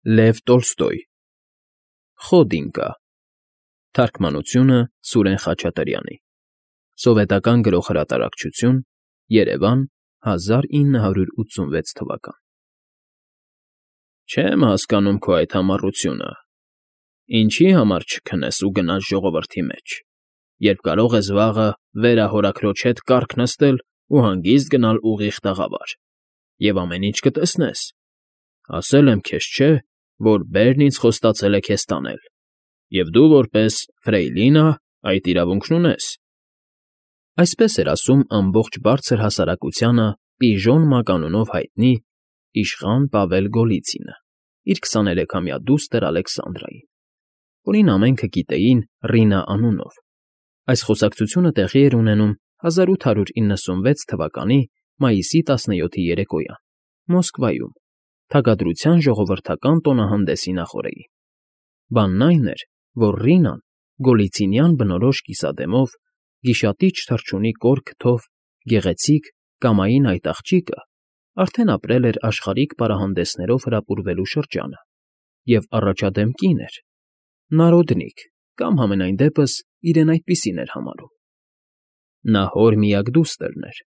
Լև Տոլստոյ Խոդինկա Թարգմանությունը Սուրեն Խաչատրյանի Սովետական գրողհրատարակչություն Երևան 1986 թվական Չեմ հասկանում քո այդ համառությունը, ինչի համար չքնես ու գնաս ժողովրդի մեջ, երբ կարող ես վաղը վերահորաքրոջ հետ կառք նստել ու հանգիստ գնալ ուղիղ տաղավար, և ամեն ինչ կտեսնես, ասել եմ քեզ չէ, որ բերն ինձ խոստացել է քեզ տանել, և դու որպես ֆրեյլինա այդ իրավունքն ունես։ Այսպես էր ասում ամբողջ բարձր հասարակությանը Պիժոն մականունով հայտնի իշխան Պավել Գոլիցինը, իր 23-ամյա դուստր Ալեքսանդրային, որին ամենքը գիտեին Ռինա անունով։ Այս խոսակցությունը տեղի էր ունենում 1896 թվականի մայիսի 17-ի երեկոյան, Մոսկվայում, Թագադրության ժողովրդական տոնահանդեսի նախօրեին։ Բանն այն էր, որ Ռինան Գոլիցինյան բնորոշ կիսադեմով, գիշատիչ թռչունի կոր քթով, գեղեցիկ կամային այդ աղջիկը արդեն ապրել էր աշխարհիկ պարահանդեսներով հրապուրվելու շրջանը և առաջադեմ կին էր, նարոդնիկ կամ համենայն դեպս իրեն այդպիսին էր համարում։ Նա հոր միակ դուստրն էր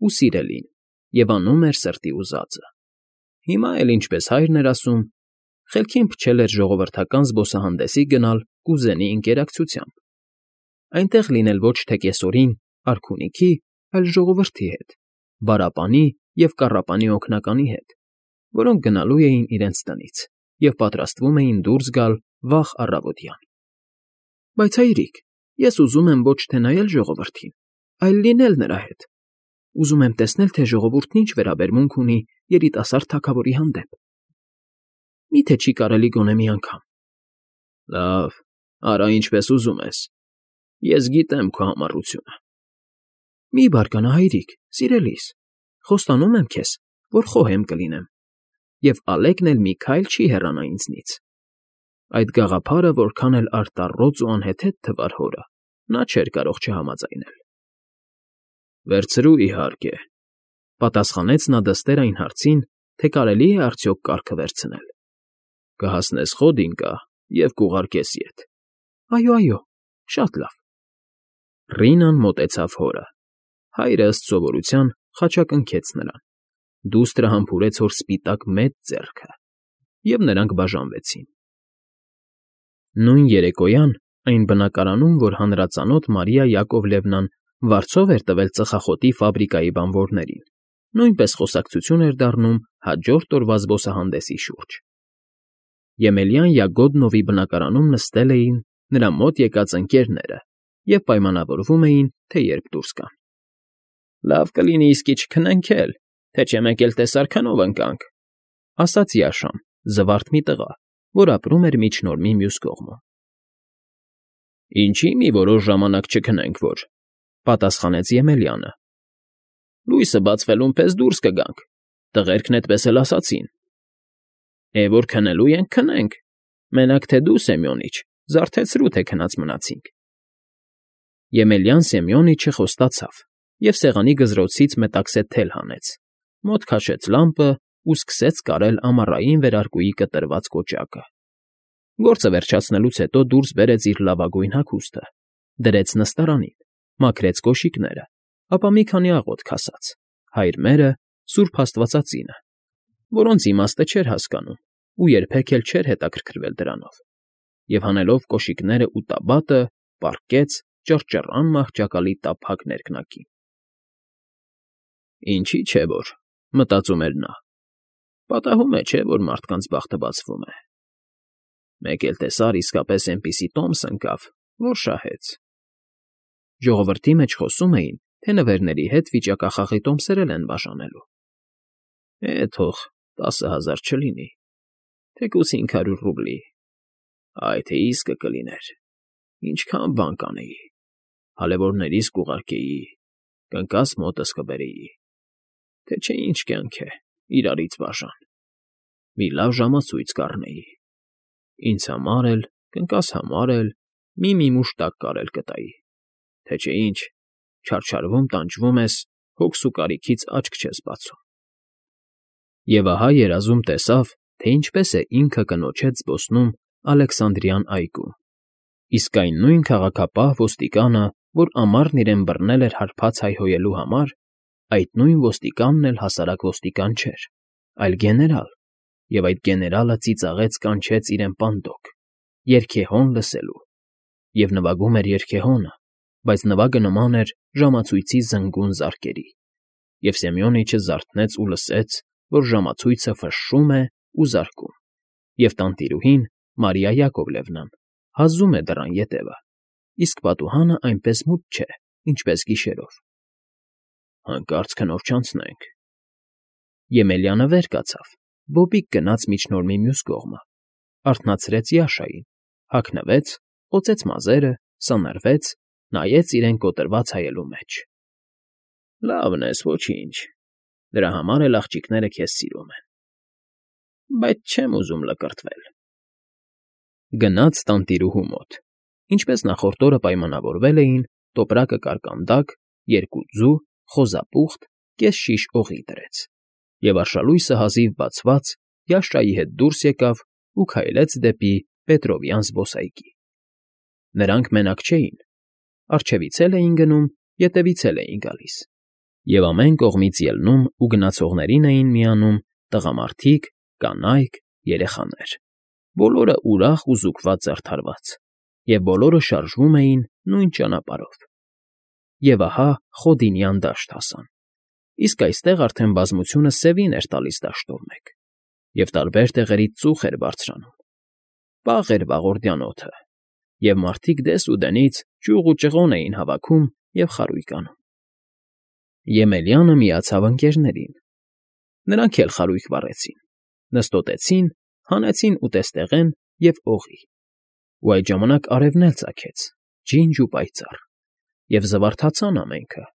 ու սիրելին և անում էր սրտի ուզածը։ Հիմա էլ, ինչպես հայրն էր ասում, խելքին փչել էր ժողովրդական զբոսահանդեսի գնալ կուզենի ընկերակցությամբ, այնտեղ լինել ոչ թե կեսօրին արքունիքի, այլ ժողովրդի հետ, բարապանի և կառապանի օգնականի հետ, որոնք գնալու էին իրենց տնից և պատրաստվում էին դուրս գալ վաղ առավոտյան։ Բայց հայրիկ, ես ուզում եմ ոչ թե նայել ժողովրդին, այլ լինել նրա հետ։ Ուզում եմ տեսնել, թե ժողովուրդն ինչ վերաբերմունք ունի երիտասարդ թագավորի հանդեպ։ Մի՞թե չի կարելի գոնե մի անգամ։ Լավ, արա ինչպես ուզում ես։ Ես գիտեմ քո համառությունը։ Մի բարկանա, հայրիկ, սիրելիս, խոստանում եմ քեզ, որ խոհեմ կլինեմ, և Ալեկն էլ մի քայլ չի հեռանա ինձնից։ Այդ գաղափարը որքան էլ արտառոց ու անհեթեթ թվար հորը, նա չէր կարող չհամաձայնել։ Վերցրու, իհարկե, պատասխանեց նա դստեր այն հարցին, թե կարելի է արդյոք կառքը վերցնել։ Կհասնես Խոդինկա և կուղարկես ետ։ Այո, շատ լավ։ Ռինան մոտեցավ հորը։ Հայրը ըստ սովորության խաչակնքեց նրան։ Դուստրը համբուրեց հոր սպիտակ մեծ ձեռքը, և նրանք բաժանվեցին։ Նույն երեկոյան այն բնակարանում, որ հանրածանոթ Մարիա Յակովլևնան վարձով էր տվել ծխախոտի ֆաբրիկայի բանվորներին, նույնպես խոսակցություն էր դառնում հաջորդ օրվա զբոսահանդեսի շուրջ։ Եմելյան Յագոդնովի բնակարանում նստել էին նրա մոտ եկած ընկերները և պայմանավորվում էին, թե երբ դուրս գան։ Լավ կլինի իսկի չքնենք էլ, թե չէ մեկ էլ տեսարքանով ընկանք, ասաց Յաշան, զվարթ մի տղա, որ ապրում էր միջնորմի մյուս կողմում։ Ինչի՞ մի որոշ ժամանակ չքնենք, որ, պատասխանեց Եմելյանը։ Լույսը բացվելուն պես դուրս կգանք, տղերքն էդպես էլ ասացին։ Որ քնելու ենք, քնենք, մենակ թե դու, Սեմյոնիչ, զարթեցրու, թե քնած մնացինք։ Եմելյան Սեմյոնիչը խոստացավ և սեղանի գզրոցից մետաքսե թել հանեց, մոտ քաշեց լամպը ու սկսեց կարել ամառային վերարկուի կտրված կոճակը։ Գործը վերջացնելուց հետո դուրս բերեց իր լավագույն հագուստը, դրեց նստարանին, մաքրեց կոշիկները, ապա մի քանի աղոթք ասաց, հայր մերը, սուրբ աստվածածինը, որոնց իմաստը չէր հասկանում ու երբեք էլ չէր հետաքրքրվել դրանով, և հանելով կոշիկները ու տաբատը, պառկեց ճռճռան մահճակալի տափակ ներքնակին։ Ինչի՞ չէ որ, մտածում էր նա, պատահում է, չէ, որ մարդկանց բախտը բացվում է։ Մեկ էլ տեսար իսկապես էնպիսի տոմս ընկավ, որ շահեց։ Ժողովրդի մեջ խոսում էին, թե նվերների հետ վիճակախաղի տոմսեր էլ են բաժանելու։ Թող 10,000 չլինի, թեկուզ 500 ռուբլի, այ թե իսկը կլիներ, ինչքան բան կանեի, հալևորներիս կուղարկեի, կնկաս մոտս կբերեի, թե չէ ինչ կյանք է, իրարից բաժան, մի լավ ժամացույց կառնեի, ինձ համար էլ, կնկաս համար էլ մի մուշտակ կարել կտայի, թե չէ ինչ, չարչարվում տանջվում ես, հոգս ու կարիքից աչք չես բացում։ Եվ ահա երազում տեսավ, թե ինչպես է ինքը կնոջ հետ զբոսնում Ալեքսանդրյան այգում։ Իսկ այն նույն քաղաքապահ ոստիկանը, որ ամառն իրեն բռնել էր հարբած հայհոյելու համար, այդ նույն ոստիկանն էլ հասարակ ոստիկան չէր, այլ գեներալ, և այդ գեներալը ծիծաղեց կանչեց իրեն պանդոկ, երգեհոն լսելու, և նվագում էր երգեհոնը, բայց նվագը նման էր ժամացույցի զնգուն զարկերի, և Սեմյոնիչը զարթնեց ու լսեց, որ ժամացույցը ֆշշում է ու զարկում, և տանտիրուհին, Մարիա Յակովլևնան, հազում է դռան ետևը, իսկ պատուհանը այնպես մութ չէ, ինչպես գիշերով։ Հանկարծ քնով չանցնենք։ Եմելյանը վեր կացավ, բոբիկ գնաց միջնորմի մյուս կողմը, արթնացրեց Յաշային, հագնվեց, օծեց մազերը, սանրվեց, նայեց իրեն կոտրված հայելու մեջ։ Լավն ես, ոչինչ, դրա համար էլ աղջիկները քեզ սիրում են, բայց չեմ ուզում լկրտվել։ Գնաց տանտիրուհու մոտ, ինչպես նախորդ օրը պայմանավորվել էին, տոպրակը կարկանդակ, 2 ձու, խոզապուխտ, կես շիշ օղի դրեց, և արշալույսը հազիվ բացված Յաշայի հետ դուրս եկավ ու քայլեց դեպի Պետրովյան զբոսայգի։ Նրանք մենակ չէին, առջևից էլ էին գնում, ետևից էլ էին գալիս, և ամեն կողմից ելնում ու գնացողներին էին միանում տղամարդիկ, կանայք, երեխաներ, բոլորը ուրախ ու զուգված զարդարված, և բոլորը շարժվում էին նույն ճանապարհով։ Եվ ահա Խոդինյան դաշտ հասան, իսկ այստեղ արդեն բազմությունը սևին էր տալիս դաշտով մեկ, և տարբեր տեղերից ծուխ էր բարձրանում։ Պաղ էր վաղորդյան օդը, և մարդիկ դես ու դենից ճյուղ ու ճղոն էին հավաքում և խարույկ անում։ Եմելյանը միացավ ընկերներին։ Նրանք էլ խարույկ վառեցին, նստոտեցին, հանեցին ուտեստեղեն և օղի, ու այդ ժամանակ արևն էլ ծագեց, ջինջ ու պայծառ, և զվարթացան ամենքը,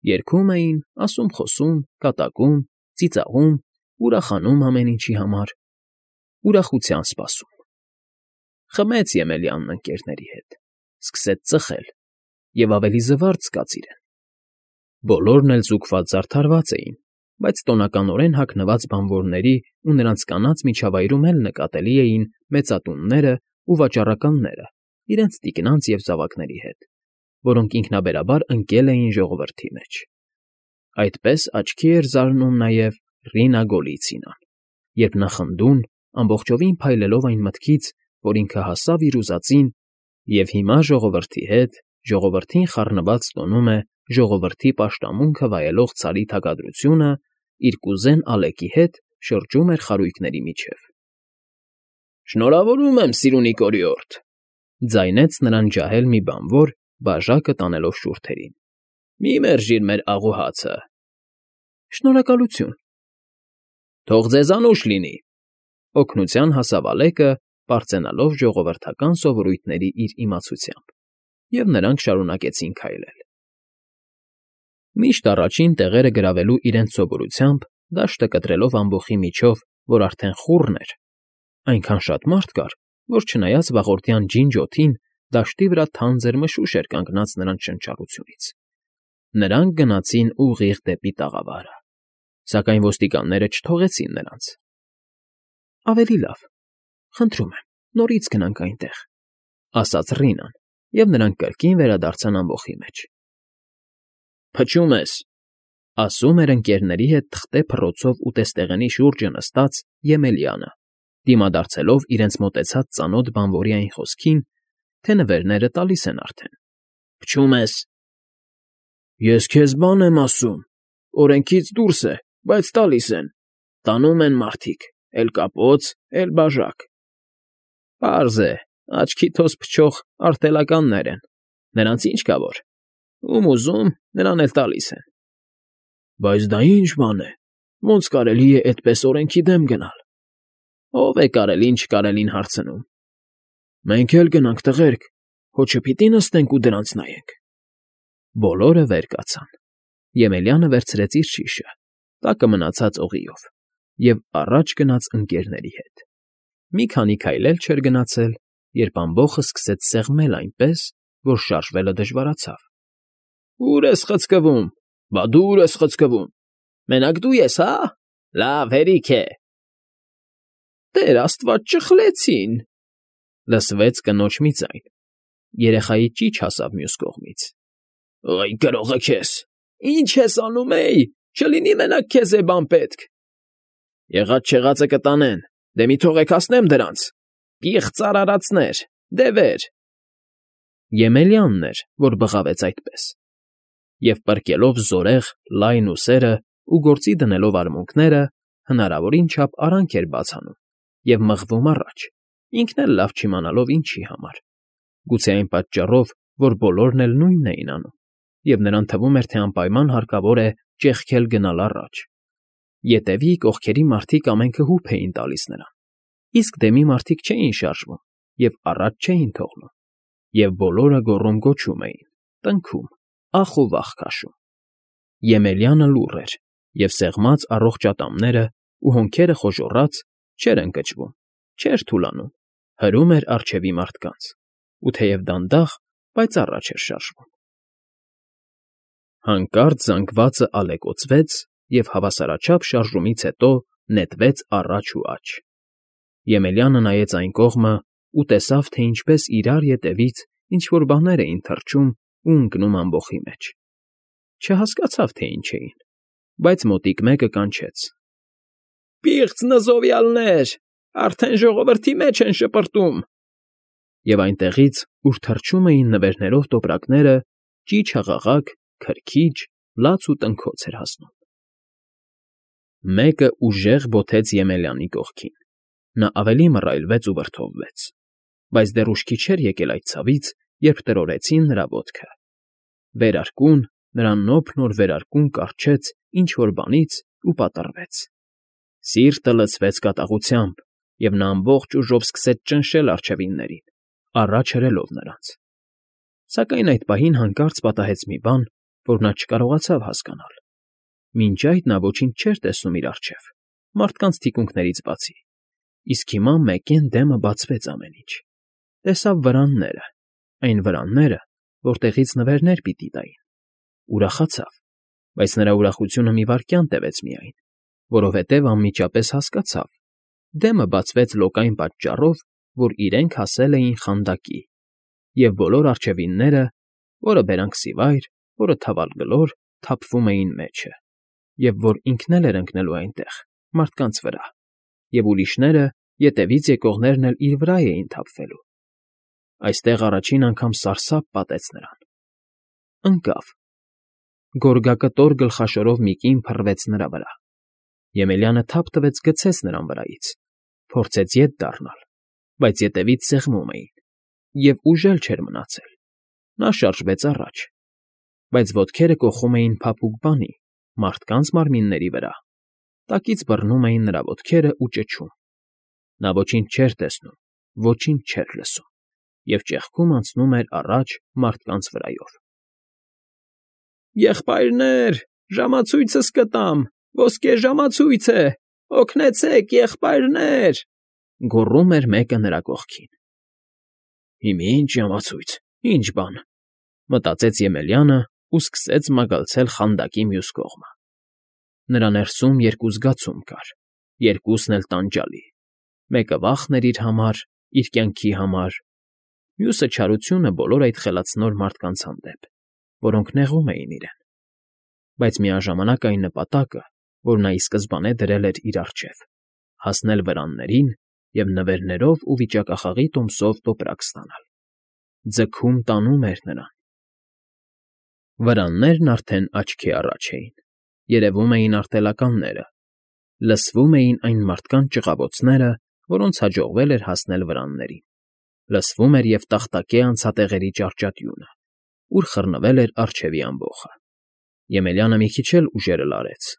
երգում էին, ասում֊խոսում, կատակում, ծիծաղում, ուրախանում ամեն ինչի համար, ուրախության սպասում։ Խմեց Եմելյանն ընկերների հետ, սկսեց ծխել և ավելի զվարթ զգաց իրեն։ Բոլորն էլ զուգված զարդարված էին, բայց տոնականորեն հագնված բանվորների ու նրանց կանանց միջավայրում էլ նկատելի էին մեծատունները ու վաճառականները իրենց տիկնանց և զավակների հետ, որոնք ինքնաբերաբար ընկել էին ժողովրդի մեջ։ Այդպես աչքի էր զարնում նաև Ռինա Գոլիցինան, երբ նա խնդուն, ամբողջովին փայլելով այն մտքից, որ ինքը հասավ իր ուզածին և հիմա ժողովրդի հետ, ժողովրդին խառնված տոնում է ժողովրդի պաշտամունքը վայելող Ցարի թագադրությունը, իր կուզեն Ալեկի հետ շրջում էր խարույկների միջև։ Շնորհավորում եմ, սիրունի կորիորդ, ձայնեց նրան ջահել մի բանվոր, բաժակը տանելով շուրթերին։ Մի մերժիր մեր աղուհացը։ Շնորհակալություն։ Թող ձեզ անուշ լինի։ Օգնության հասավ Ալեկը, պարծենալով ժողովրդական սովորույթների իր իմացությամբ, և նրանք շարունակեցին քայլել։ Միշտ առաջին տեղերը գրավելու իրենց սովորությամբ, դաշտը կտրելով ամբոխի միջով, որ արդեն խուռն էր, այնքան շատ մարդ կար, որ չնայած վաղորդյան ջինջ օդին, դաշտի վրա թանձր մշուշ էր կանգնած նրանց շնչառությունից։ Նրանք գնացին ուղիղ դեպի տաղավարը, սակայն ոստիկանները չթողեցին նրանց։ Ավելի լավ, խնդրում եմ, նորից գնանք այնտեղ, ասաց Ռինան, և նրանք կրկին վերադարձան ամբոխի մեջ։ Փչում ես, ասում էր ընկերների հետ թղթե փռոցով ուտեստեղենի շուրջը նստած Եմելյանը, դիմադարձելով իրենց մոտեցած ծանոթ բանվորի այն խոսքին, թե նվերները տալիս են արդեն։ Փչում ես։ Ես քեզ բան եմ ասում, օրենքից դուրս է, բայց տալիս են, տանում են մարդիկ, էլ կապոց, էլ բաժակ։ Պարզ է, աչքի թոս փչող արտելականներ են, նրանց ինչ կա որ, ում ուզում, նրան էլ տալիս են։ Բայց դա ի՞նչ բան է, ոնց կարելի է այդպես օրենքի դեմ գնալ։ Ո՞վ է կարելին չկարելին հարցնում։ Մենք էլ գնանք, տղերք, հո չպիտի նստենք ու դրանց նայենք։ Բոլորը վեր կացան։ Եմելյանը վերցրեց իր շիշը, տակը մնացած օղիով, և առաջ գնաց ընկերների հետ։ Մի քանի քայլ էլ չէր գնացել, երբ ամբոխը սկսեց սեղմել այնպես, որ շարժվելը դժվարացավ։ Ո՞ւր ես խցկվում, բա դու ո՞ւր ես խցկվում։ Մենակ դու ես, հա՞։ Լավ, հերիք է։ Տեր աստված, ճխլեցին…֊ լսվեց կնոջ մի ձայն։ Երեխայի ճիչ հասավ մյուս կողմից։ «Այ գրողը քեզ… Ի՞նչ ես անում, էй… Չլինի մենակ քեզ է բան պետք»։ «Եղած֊չեղածը կտանեն, դե մի թողեք հասնեմ դրանց… Պիղծ արարածներ… Դևեր…» Եմելյանն էր, որ բղավեց այդպես, և պրկելով զորեղ լայն ուսերը ու գործի դնելով արմունկները, հնարավորին չափ արանք էր բաց անում և մղվում առաջ, ինքն էլ լավ չիմանալով ինչի համար, գուցե այն պատճառով, որ բոլորն էլ նույնն էին անում, և նրան թվում էր, թե անպայման հարկավոր է ճեղքել գնալ առաջ։ Ետևի կողքերի մարդիկ ամենքը հուփ էին տալիս նրան, իսկ դեմի մարդիկ չէին շարժվում և առաջ չէին թողնում, և բոլորը գոռում֊գոչում էին, տնքում, ախ ու վախ քաշում։ Եմելյանը լուռ էր, և սեղմած առողջ ատամները ու հոնքերը խոժոռած չէր ընկճվում, չէր թուլանում, հրում էր առջևի մարդկանց ու թեև դանդաղ, բայց առաջ էր շարժվում։ Հանկարծ զանգվածը ալեկոծվեց և հավասարաչափ շարժումից հետո նետվեց առաջ ու աջ։ Եմելյանը նայեց այն կողմը ու տեսավ, թե ինչպես իրար ետևից ինչ֊որ բաներ էին թռչում ու ընկնում ամբոխի մեջ։ Չհասկացավ, թե ինչ էին, բայց մոտիկ մեկը կանչեց. «Պիղծ նզովյալներ… Արդեն ժողովրդի մեջ են շպրտում»։ Եվ այնտեղից, ուր թռչում էին նվերներով տոպրակները, ճիչ֊հաղաղակ, քրքիջ, լաց ու տնքոց էր հասնում։ Մեկը ուժեղ բոթեց Եմելյանի կողքին։ Նա ավելի մռայլվեց ու վրդովվեց, բայց դեռ ուշքի չէր եկել այդ ցավից, երբ տրորեցին նրա ոտքը։ Վերարկուն, նրա նոփն վերարկուն կառչեց ինչ֊որ բանից ու պատռվեց։ Սիրտը լցվեց կատաղությամբ, և նա ամբողջ ուժով սկսեց ճնշել առջևիններին, առաջ հրելով նրանց։ Սակայն այդ պահին հանկարծ պատահեց մի բան, որ նա չկարողացավ հասկանալ։ Մինչ այդ նա ոչինչ չէր տեսնում իր առջև, մարդկանց թիկունքներից բացի, իսկ հիմա մեկեն դեմը բացվեց ամեն ինչ։ Տեսավ վրանները, այն վրանները, որտեղից նվերներ պիտի տային։ Ուրախացավ, բայց նրա ուրախությունը մի վայրկյան տևեց միայն, որովհետև անմիջապես հասկացավ. դեմը բացվեց լոկայն պատճառով, որ իրենք հասել էին խանդակի, և բոլոր առջևինները, որը բերանքսիվայր, որը թավալգլոր, թափվում էին մեջը, և որ ինքն էլ էր ընկնելու այնտեղ, մարդկանց վրա, և ուրիշները, ետևից եկողներն էլ իր վրա էին թափվելու։ Այստեղ առաջին անգամ սարսափ պատեց նրան։ Ընկավ։ Գորգակտոր գլխաշորով մի կին փռվեց նրա վրա։ Եմելյանը թափ տվեց գցեց նրան վրայից, փորձեց ետ դառնալ, բայց ետևից սեղմում էին, և ուժ էլ չէր մնացել։ Նա շարժվեց առաջ, բայց ոտքերը կոխում էին փափուկ բանի, մարդկանց մարմինների վրա, տակից բռնում էին նրա ոտքերն ու ճչում։ Նա ոչինչ չէր տեսնում, ոչինչ չէր լսում, և ճեղքում անցնում էր առաջ մարդկանց վրայով։ «Եղբայրներ, ժամացույցս կտամ, ոսկե ժամացույց է, օգնեցե՛ք, եղբայրներ…»։ Գոռում էր մեկը նրա կողքին։ «Հիմա ի՞նչ ժամացույց, ի՞նչ բան…» մտածեց Եմելյանը ու սկսեց մագլցել խանդակի մյուս կողմը։ Նրա ներսում երկու զգացում կար, երկուսն էլ տանջալի. մեկը վախն էր իր համար, իր կյանքի համար, մյուսը չարությունը բոլոր այդ խելացնոր մարդկանց հանդեպ, որոնք նեղում էին իրեն։ Բայց միաժամանակ այն նպատակը, որ նա ի սկզբանե դրել էր իր առջև՝ հասնել վրաններին և նվերներով ու վիճակախաղի տոմսով տոպրակ ստանալ, ձգում տանում էր նրան։ Վրաններն արդեն աչքի առաջ էին, երևում էին արտելականները, լսվում էին այն մարդկանց ճղավոցները, որոնց հաջողվել էր հասնել վրաններին, լսվում էր և տախտակե անցատեղերի ճառճատյունը, ուր խռնվել էր առջևի ամբոխը։ Եմելյանը մի քիչ էլ ուժերը լարեց,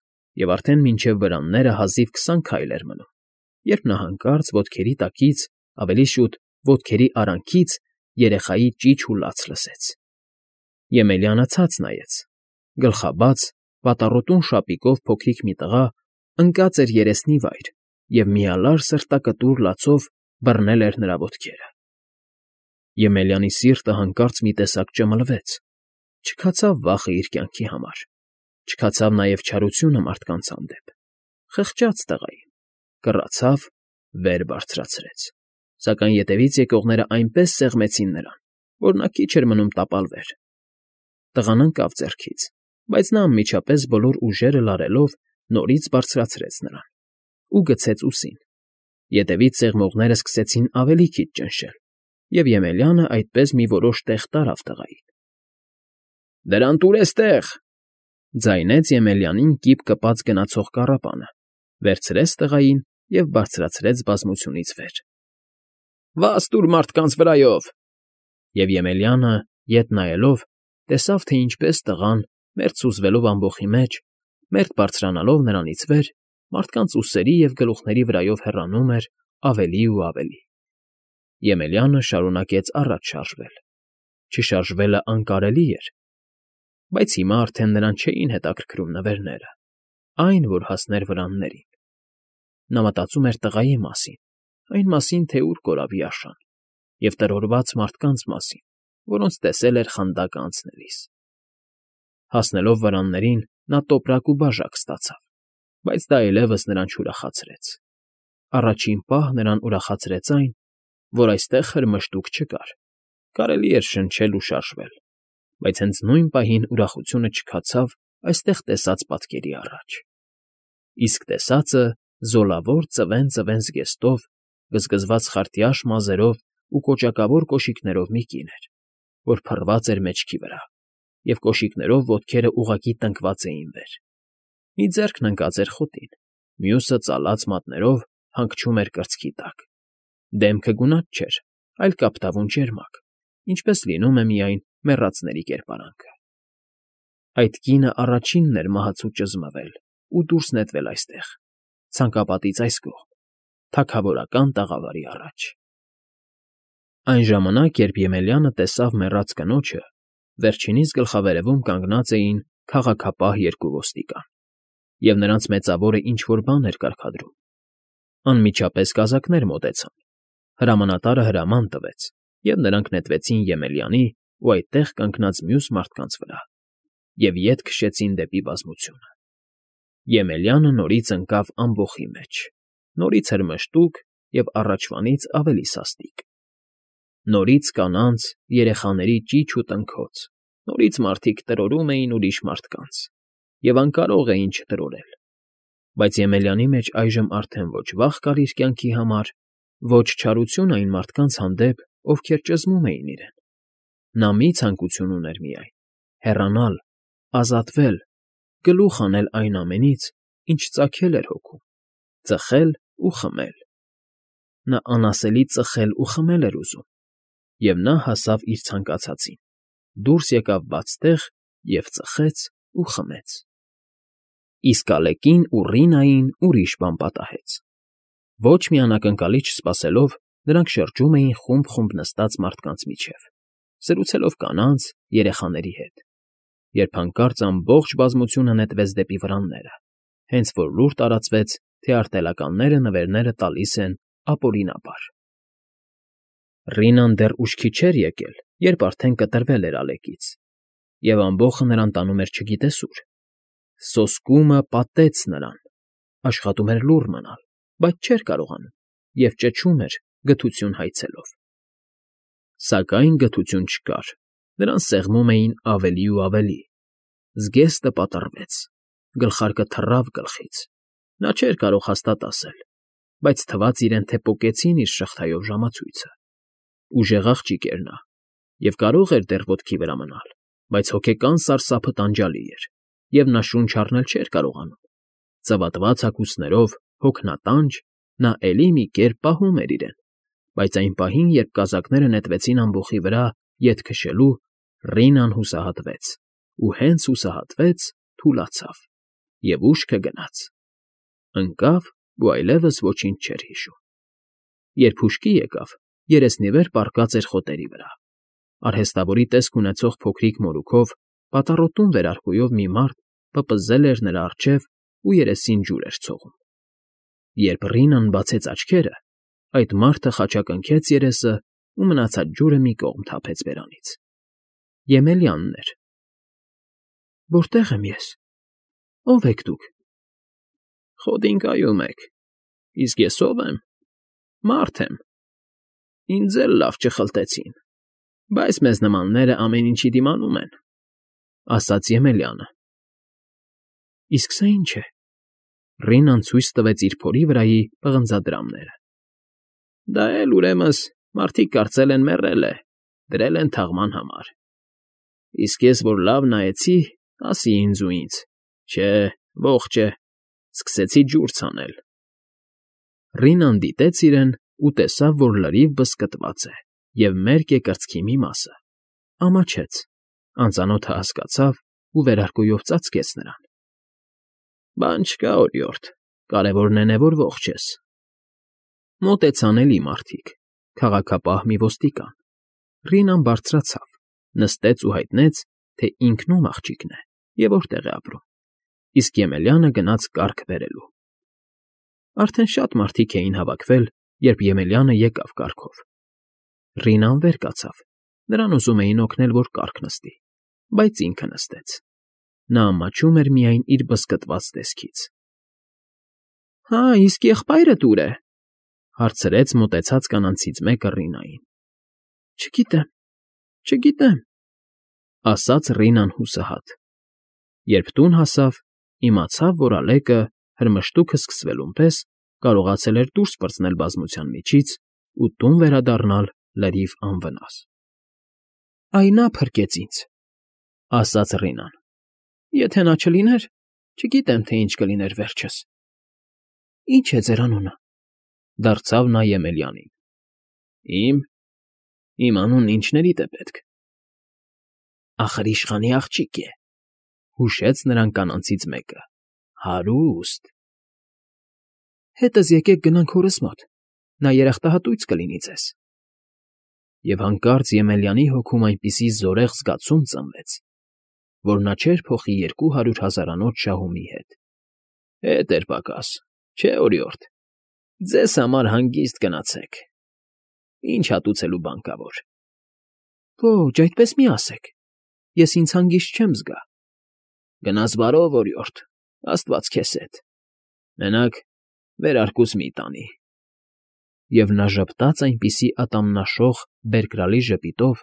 և արդեն մինչև վրանները հազիվ 20 քայլ էր մնում, երբ նա հանկարծ ոտքերի տակից, ավելի շուտ ոտքերի արանքից երեխայի ճիչ ու լաց լսեց։ Եմելյանը ցած նայեց. գլխաբաց, պատառոտուն շապիկով փոքրիկ մի տղա ընկած էր երեսնի վայր և միալար սրտակտուր լացով բռնել էր նրա ոտքերը։ Եմելյանի սիրտը հանկարծ մի տեսակ ճմլվեց, չքացավ վախը իր կյանքի համար, չքացավ նաև չարությունը մարդկանց հանդեպ, խղճաց տղային, կռացավ վեր բարձրացրեց, սակայն ետևից եկողները այնպես սեղմեցին նրան, որ նա քիչ էր մնում տապալվեր։ Տղան ընկավ ձեռքից, բայց նա անմիջապես բոլոր ուժերը լարելով նորից բարձրացրեց նրան ու գցեց ուսին։ Ետևից սեղմողները սկսեցին ավելի քիչ ճնշել, և Եմելյանը այդպես մի որոշ տեղ տարավ տղային։ «Դրան տուր էստեղ», ձայնեց Եմելյանին կիպ կպած գնացող կառապանը, վերցրեց տղային և բարձրացրեց բազմությունից վեր։ «Վազ տուր մարդկանց վրայով»։ Եվ Եմելյանը, ետ նայելով, տեսավ, թե ինչպես տղան, մերթ սուզվելով ամբոխի մեջ, մերթ բարձրանալով նրանից վեր, մարդկանց ուսերի և գլուխների վրայով հեռանում էր ավելի ու ավելի։ Եմելյանը շարունակեց առաջ շարժվել։ Չշարժվելը անկարելի էր, բայց հիմա արդեն նրան չէին հետաքրքրում նվերները, այն, որ հասներ վրաններին։ Նա մտածում էր տղայի մասին, այն մասին, թե ուր կորավի Աշան, և տրորված մարդկանց մասին, որոնց տեսել էր խանդակը անցնելիս։ Հասնելով վրաններին, նա տոպրակ ու բաժակ ստացավ, բայց դա այլևս նրան չուրախացրեց։ Առաջին պահ նրան ուրախացրեց այն, որ այստեղ խրմշտուք չկար, կարելի էր շնչել ու շարժվել, բայց հենց նույն պահին ուրախությունը չքացավ այստեղ տեսած պատկերի առաջ։ Իսկ տեսածը զոլավոր ծվեն զգեստով, գզգզված խարտյաշ մազերով ու կոճակավոր կոշիկներով մի կին էր, որ փռված էր մեջքի վրա, և կոշիկներով ոտքերը ուղղակի տնկված էին վեր։ Մի ձեռքն ընկած էր խոտին, մյուսը ծալած մատներով հանգչում էր կրծքի տակ։ Դեմքը գունատ չէր, այլ կապտավուն ճերմակ, ինչպես լինում է միայն մեռածների կերպարանքը։ Այդ կինը առաջինն էր մահացու ճզմվել ու դուրս նետվել այստեղ, ցանկապատից այս կողմ, թագավորական տաղավարի առաջ։ Այն ժամանակ, երբ Եմելյանը տեսավ մեռած կնոջը, վերջինիս գլխավերևում կանգնած էին քաղաքապահ երկու ոստիկան, և նրանց մեծավորը ինչ֊որ բան էր կարգադրում։ Անմիջապես կազակներ մոտեցան, հրամանատարը հրաման տվեց, և նրանք նետվեցին Եմելյանի ու այդտեղ կանգնած մյուս մարդկանց վրա և ետ քշեցին դեպի բազմությունը։ Եմելյանը նորից ընկավ ամբոխի մեջ, նորից հրմշտուք և առաջվանից ավելի սաստիկ։ Նորից կանանց, երեխաների ճիչ ու տնքոց, նորից մարդիկ տրորում էին ուրիշ մարդկանց և անկարող էին չտրորել։ Բայց Եմելյանի մեջ այժմ արդեն ոչ վախ կար իր կյանքի համար, ոչ չարություն այն մարդկանց հանդեպ, ովքեր ճզմում էին իրեն։ Նա մի ցանկություն ուներ միայն՝ հեռանալ, ազատվել, գլուխ հանել այն ամենից, ինչ ծագել էր հոգում, ծխել ու խմել։ Նա անասելի ծխել ու խմել էր ուզում, և նա հասավ իր ցանկացածին, դուրս եկավ բաց տեղ և ծխեց ու խմեց։ Իսկ Ալեկին ու Ռինային ուրիշ բան պատահեց։ Ոչ մի անակնկալի չսպասելով, նրանք շրջում էին խումբ նստած մարդկանց միջև, զրուցելով կանանց, երեխաների հետ, երբ հանկարծ ամբողջ բազմությունը նետվեց դեպի վրանները, հենց որ լուր տարածվեց, թե արտելականները նվերները տալիս են ապօրինաբար։ Ռինան դեռ ուշքի չէր եկել, երբ արդեն կտրվել էր Ալեկից, և ամբոխը նրան տանում էր չգիտես ուր։ Սոսկումը պատեց նրան, աշխատում էր լուռ մնալ, բայց չէր կարողանում և ճչում էր գթություն հայցելով։ Սակայն գթություն չկար, նրան սեղմում էին ավելի ու ավելի։ Զգեստը պատռվեց, գլխարկը թռավ գլխից։ Նա չէր կարող հաստատ ասել, բայց թվաց իրեն, թե պոկեցին իր շղթայով ժամացույցը։ Ուժեղ աղջիկ էր նա և կարող էր դեռ ոտքի վրա մնալ, բայց հոգեկան սարսափը տանջալի էր, և նա շունչ առնել չէր կարողանում։ Ծվատված հագուստներով, հոգնատանջ, նա էլի մի կերպ պահում էր իրեն, բայց այն պահին, երբ կազակները նետվեցին ամբոխի վրա ետ քշելու, Ռինան հուսահատվեց, ու հենց հուսահատվեց, թուլացավ, և ուշքը գնաց։ Ընկավ ու այլևս ոչինչ չէր հիշում։ Երբ հուշքի եկավ, երեսնի վեր պառկած էր խոտերի վրա։ Արհեստավորի տեսք ունեցող փոքրիկ մորուքով, պատառոտուն վերարկուով մի մարդ պպզել էր նրա առջև ու երեսին ջուր էր ցողում։ Երբ Ռինան բացեց աչքերը, այդ մարդը խաչակնքեց երեսը ու մնացած ջուրը մի կողմ թափեց բերանից։ Եմելյանն էր։ Որտե՞ղ եմ ես։ Ո՞վ եք դուք։ Խոտին կայում եք, իսկ ես ո՞վ եմ։ Մարդ եմ, ինձ էլ լավ չխլտեցին, բայց մեզ նմանները ամեն ինչի դիմանում են, ֊ ասաց Եմելյանը։ ֊ Իսկ սա ի՞նչ է։ Ռինան ցույց տվեց իր փորի վրայի պղնձադրամները։ ֊ Դա էլ, ուրեմն, մարդիկ կարծել են մեռել է, դրել են թաղման համար։ Իսկ ես, որ լավ նայեցի, ասի ինձ ու ինձ. չէ, ողջ է, սկսեցի ջուր ցանել։ Ռինան դիտեց իրեն ու տեսավ, որ լրիվ բզկտված է և մերկ է կրծքի մի մասը, ամաչեց, անծանոթը հասկացավ ու վերարկուով ծածկեց նրան։ ֊ Բան չկա, օրիորդ, կարևորն է, որ ողջ ես։ Մոտեցան էլի մարդիկ, քաղաքապահ մի ոստիկան։ Ռինան բարձրացավ, նստեց ու հայտնեց, թե ինքն ում աղջիկն է և որտեղ է ապրում, իսկ Եմելյանը գնաց կառք բերելու։ Արդեն շատ մարդիկ էին հավաքվել, երբ Եմելյանը եկավ կառքով։ Ռինան վեր կացավ, նրան ուզում էին օգնել, որ կառք նստի, բայց ինքը նստեց։ Նա ամաչում էր միայն իր բզկտված տեսքից։ ֊ Հա, իսկ եղբայրդ ո՞ւր է,֊ հարցրեց մոտեցած կանանցից մեկը Ռինային։ ֊ Չգիտեմ,֊ ասաց Ռինան հուսահատ։ Երբ տուն հասավ, իմացավ, որ Ալեկը, հրմշտուքը սկսվելուն պես, կարողացել էր դուրս պրծնել բազմության միջից ու տուն վերադառնալ լրիվ անվնաս։ ֊ Այ նա փրկեց ինձ,֊ ասաց Ռինան։ Եթե նա չլիներ, չգիտեմ, թե ինչ կլիներ վերջս։ ֊ Ի՞նչ է ձեր անունը,֊ դարձավ նա Եմելյանին։ ֊ Իմ անունն ինչներիդ է պետք։ ֊ Ախր իշխանի աղջիկ է,֊ հուշեց նրան կանանցից մեկը,֊ հարուստ։ ֊ Հետս եկեք գնանք հորս մոտ, նա երախտահատույց կլինի ձեզ։ Եվ հանկարծ Եմելյանի հոգում այնպիսի զորեղ զգացում ծնվեց, որ նա չէր փոխի 200,000-անոց շահումի հետ։ Հետ էր պակաս, չէ, օրիորդ, ձեզ համար հանգիստ գնացեք, ինչ հատուցելու բանկավոր։ Ոչ, այդպես մի ասեք, ես ինձ հանգիստ չեմ զգա։ Գնաս բարով, օրիորդ, աստված քեզ հետ։ Մենակ վերարկուս մի տանի։ Եվ նա ժպտաց այնպիսի ատամնաշող բերկրալի ժպիտով,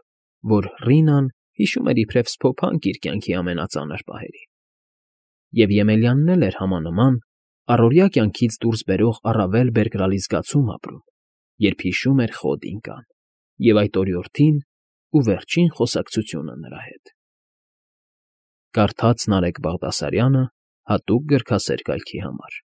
որ Ռինան հիշում էր իբրև սփոփանք իր կյանքի ամենածանր պահերի։ Եվ Եմելյանն էլ էր համանման, առօրյա կյանքից դուրս բերող առավել բերկրալի զգացում ապրում, երբ հիշում էր խոտ ինկան և այդ օրիորդին ու վերջին խոսակցությունը նրա հետ։ Կարդաց Նարեկ Բաղդասարյանը հատուկ գրքասեր կայքի համար։